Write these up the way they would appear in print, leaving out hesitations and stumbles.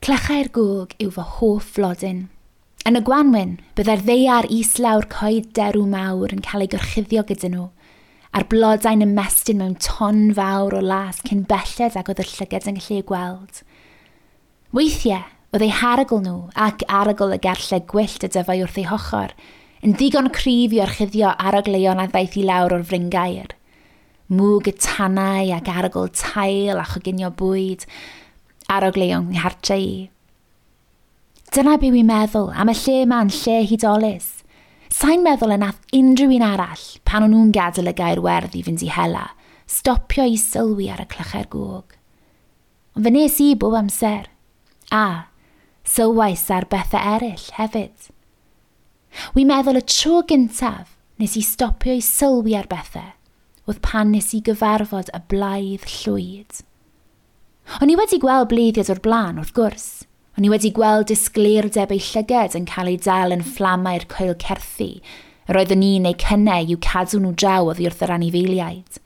Clychau'r gog yw fy hoff flodyn. Yn y gwanwyn, byddai'r ddaear islaw'r coed derw mawr yn cael ei gorchuddio gyda nhw, a'r blodau'n ymestyn mewn ton fawr o las cyn belled ag oedd y llygad yn gallu eu gweld. Weithiau, oedd eu harogl nhw ac arogl y gerllau gwyllt y dyfai wrth eu hochr, yn ddigon cryf i orchuddio arogleuon a ddaeth i lawr o'r fryngaer. Mwg y tanau ac arogl tail a choginio bwyd, arogleuon nghartre i. Dyna be wi'n meddwl am y lle 'ma'n lle hudolus. Sa'n meddwl y nath unrhyw un arall, pan o'n nhw'n gadael y gair werdd i fynd i hela, stopio i sylwi ar y clychau'r gog. Ond fe nes i bob amser. A, sylwais ar bethau eraill hefyd. Wi'n meddwl y tro gyntaf nes i stopio i sylwi ar bethau oedd pan nes i gyfarfod y blaidd llwyd. O'n i wedi gweld bleiddiad o'r blaen, wrth gwrs. O'n i wedi gweld disgleirdeb ei llyged yn cael ei dal yn fflamau'r coelcerthi, yr oeddwn i'n eu cynnau i'w cadw nhw draw oddi wrth yr anifeiliaid.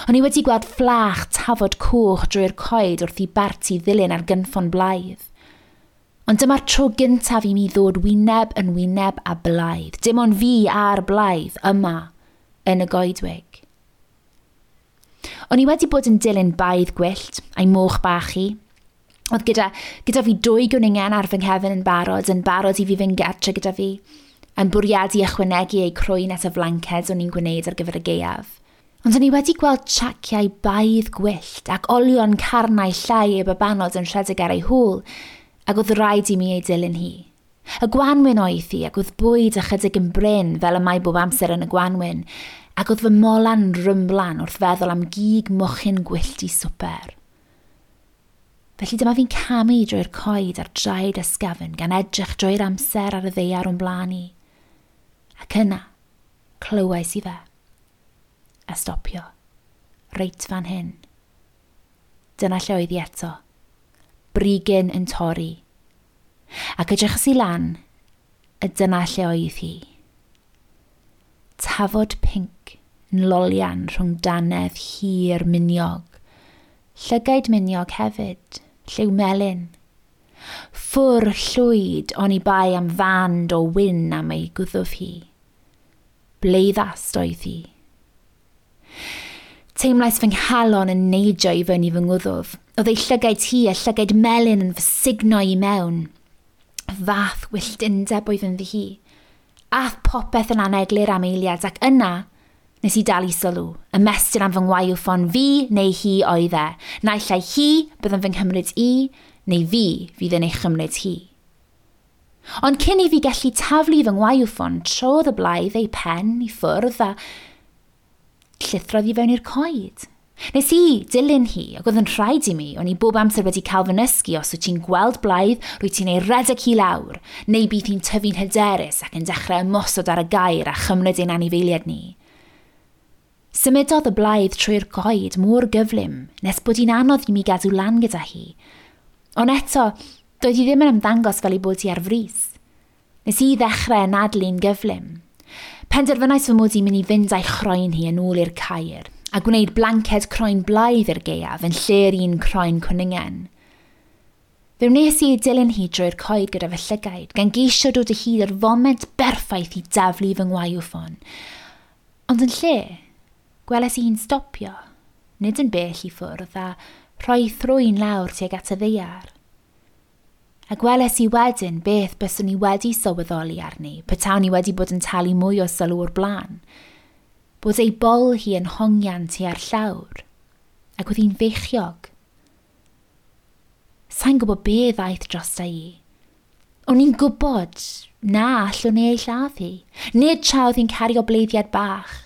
O'n i wedi gweld fflach tafod coch drwy'r coed wrth i barti ddilyn ar gynffon blaidd. Ond dyma'r tro gyntaf i mi ddod wyneb yn wyneb â blaidd. Dim ond fi a'r blaidd yma yn y goedwig. O'n i wedi bod yn dilyn baedd gwyllt a'i moch bach hi. Oedd gyda, gyda fi dwy gwningen ar fy nghefn yn barod, yn barod i fi fynd gartre gyda fi, yn bwriadu ychwanegu eu crwyn at y flanced o'n i'n gwneud ar gyfer y gaeaf. Ond o'n i wedi gweld traciau baedd gwyllt ac olion carnau llai ei babanod yn rhedeg ar ei hôl, ac oedd rhaid i mi ei dilyn hi. Y gwanwyn oedd hi, ac oedd bwyd ychydig yn brin fel y mae bob amser yn y gwanwyn, ac oedd fy mola'n rymblan wrth feddwl am gig mochyn gwyllt i swper. Felly dyma fi'n camu drwy'r coed ar draed ysgafn gan edrych drwy'r amser ar y ddaear o'n blaen i. Ac yna, clywais i fe. A stopio. Reit fan hyn. Dyna lle oedd hi eto. Brigyn yn torri. Ac edrychais i lan, a dyna lle oedd hi. Tafod pinc yn lolian rhwng dannedd hir miniog. Llygaid miniog hefyd, lliw melyn. Ffwr llwyd oni bai am fand o wyn am ei gwddf hi. Bleiddast oedd hi. Teimlais fy nghalon yn neidio i fyny fy ngwddf. Oedd ei llygaid hi a llygaid melyn yn fy sugno i mewn. Fath wyllt undeb oedd ynddi hi. Ath popeth yn aneglur am eiliad ac yna nes i dal i sylw, ymestyn am fy ngwaywffon fi neu hi oedd e. Naill ai hi bydd yn fy nghymryd i, neu fi fydd yn ei chymryd hi. Ond cyn i fi gallu taflu fy ngwaywffon, trodd y blaidd ei pen i ffwrdd a llithrodd i fewn i'r coed. Nes i dilyn hi, ac oedd yn rhaid i mi, o'n i bob amser wedi cael fy nysgu os wyt ti'n gweld blaidd, rwyt ti'n ei redeg hi lawr, neu bydd hi'n tyfu'n hyderus ac yn dechrau ymosod ar y gair a chymryd ein anifeiliaid ni. Symudodd y blaidd trwy'r coed mor gyflym, nes bod hi'n anodd i mi gadw lan gyda hi. Ond eto, doedd hi ddim yn ymddangos fel ei bod hi ar frys. Nes i ddechrau anadlu'n gyflym. Penderfynais fy mod i'n mynd i fynd â'i chroen hi yn ôl i'r caer, a gwneud blanced croen blaidd i'r gaeaf yn lle'r un croen cwningen. Fe wnes i ei dilyn hi drwy'r coed gyda fy llygaid, gan geisio dod o hyd i'r foment berffaith i daflu fy ngwaywffon. Ond yn lle, gweles i hi'n stopio, nid yn bell i ffwrdd, a rhoi thrwyn lawr tuag at y ddaear. A gweles i wedyn beth byswn i wedi sylweddoli arni, petawn i wedi bod yn talu mwy o sylw o'r blaen. Bod ei bol hi yn hongian tua'r llawr, ac oedd hi'n feichiog. Sa'n gwybod be ddaeth drosta i. O'n i'n gwybod na allwn i ei lladd hi. Nid tra oedd hi'n cario bleiddiad bach.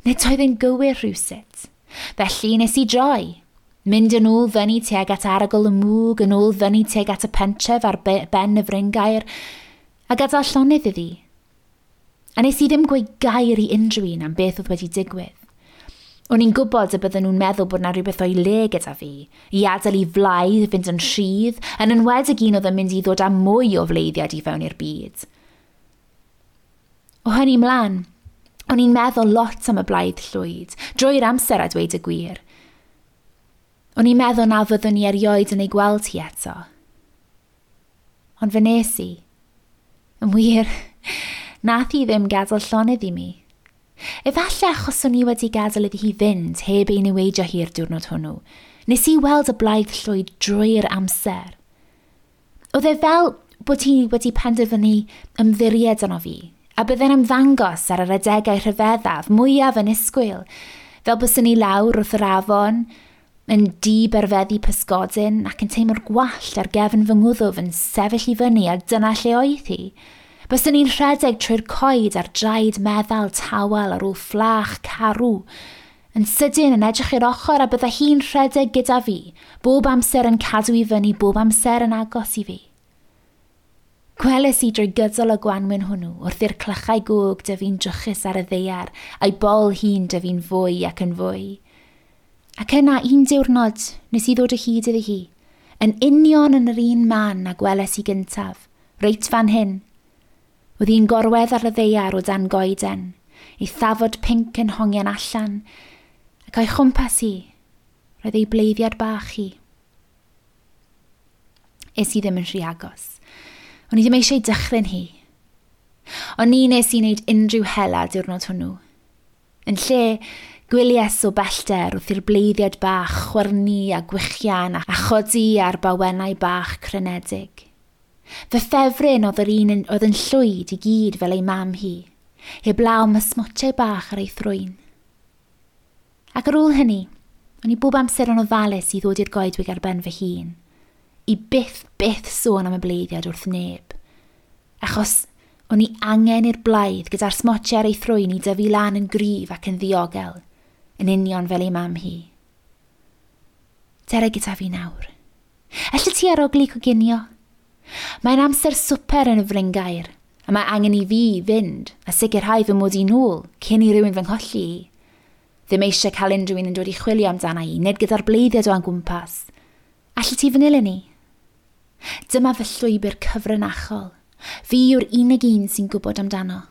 Nid oedd yn gywir rhywsut. Felly nes i droi. Mynd yn ôl fyny tuag at arogl y mwg, yn ôl fyny tuag at y pentref ar ben y fryngaer, a gadael llonydd iddi. A nes i ddim gweud gair i unrhyw un am beth oedd wedi digwydd. O'n i'n gwybod y bydden nhw'n meddwl bod 'na rhywbeth o'i le gyda fi, i adael i flaidd fynd yn rhydd, yn enwedig un oedd yn mynd i ddod â mwy o fleiddiad i fewn i'r byd. O hynny mlaen, o'n i'n meddwl lot am y blaidd llwyd, drwy'r amser a dweud y gwir. O'n i'n meddwl na fyddwn i erioed yn ei gweld hi eto. Ond fe nes i. Yn wir, nath hi ddim gadael llonydd i mi. Efallai achos o'n i wedi gadael iddi hi fynd heb ei niweidio hi'r diwrnod hwnnw. Nes i weld y blaidd llwyd drwy'r amser. Oedd e fel bod hi wedi penderfynu ymddiried yno fi, a bydde'n ymddangos ar yr adegau rhyfeddaf mwyaf annisgwyl, fel byswn i lawr wrth yr afon, yn diberfeddu pysgodyn ac yn teimlo'r gwallt ar gefn fy ngwddf yn sefyll i fyny a dyna lle oedd hi. Byswn i'n rhedeg trwy'r coed ar draed meddal tawel ar ôl fflach carw, yn sydyn yn edrych i'r ochr a bydda hi'n rhedeg gyda fi, bob amser yn cadw i fyny, bob amser yn agos i fi. Gweles i drwy gydol y gwanwyn hwnnw wrth i'r clychau gog dyfu'n drychus ar y ddaear a'i bol hi'n dyfu'n fwy ac yn fwy. Ac yna un diwrnod nes i ddod o hyd iddi hi, yn union yn yr un man a gweles i gyntaf, reit fan hyn. Oedd hi'n gorwedd ar y ddaear o dan goeden, ei thafod pinc yn hongian allan, ac o'i chwmpas hi, roedd ei bleiddiad bach hi. Es i ddim yn rhy agos. O'n i ddim eisiau dychryn hi. Ond ni nes i wneud unrhyw hela diwrnod hwnnw. Yn lle, gwylies o bellter wrth i'r bleiddiad bach chwyrnu a gwichian a chodi ar bawennau bach crynedig. Fy ffefryn oedd yr un oedd yn llwyd i gyd fel ei mam hi, heblaw am y smotiau bach ar ei thrwyn. Ac ar ôl hynny, o'n i bob amser yn ofalus i ddod i'r goedwig ar ben fy hun, i byth, byth sôn am y bleiddiad wrth neb. Achos o'n i angen i'r blaidd gyda'r smotiau ar ei thrwyn i dyfu lan yn gryf ac yn ddiogel, yn union fel ei mam hi. Dere gyda fi nawr. Elli ti arogli coginio? Mae'n amser swper yn y fryngaer, a mae angen i fi fynd a sicrhau fy mod i nôl cyn i rywun fy ngholli i. Ddim eisiau cael unrhyw un yn dod i chwilio amdana i, nid gyda'r bleiddiad o angwmpas. Allet ti fy nilyn i? Dyma fy llwybr cyfrinachol. Fi yw'r unig un sy'n gwybod amdano.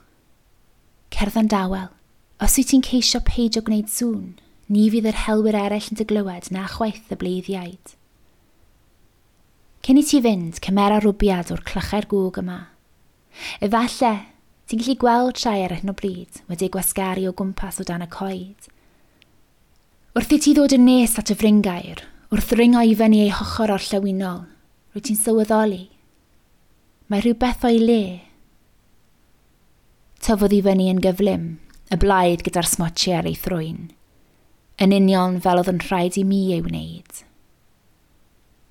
Cerdda'n dawel. Os wyt ti'n ceisio peidio gwneud sŵn, ni fydd yr helwyr eraill yn dy glywed na chwaith y bleiddiaid. Cyn i ti fynd, cymera rwbiad o'r clychau'r gŵg yma. Efallai, ti'n gallu gweld rhai ar hyn o bryd wedi gwasgaru o gwmpas o dan y coed. Wrth i ti ddod yn nes at y fryngaer, wrth ringo i fyny ei hochr orllewinol, rwyt ti'n sylweddoli. Mae rhywbeth o'i le. Tyfodd i fyny yn gyflym, y blaidd gyda'r smotiau ar ei thrwyn, yn union fel oedd yn rhaid i mi ei wneud.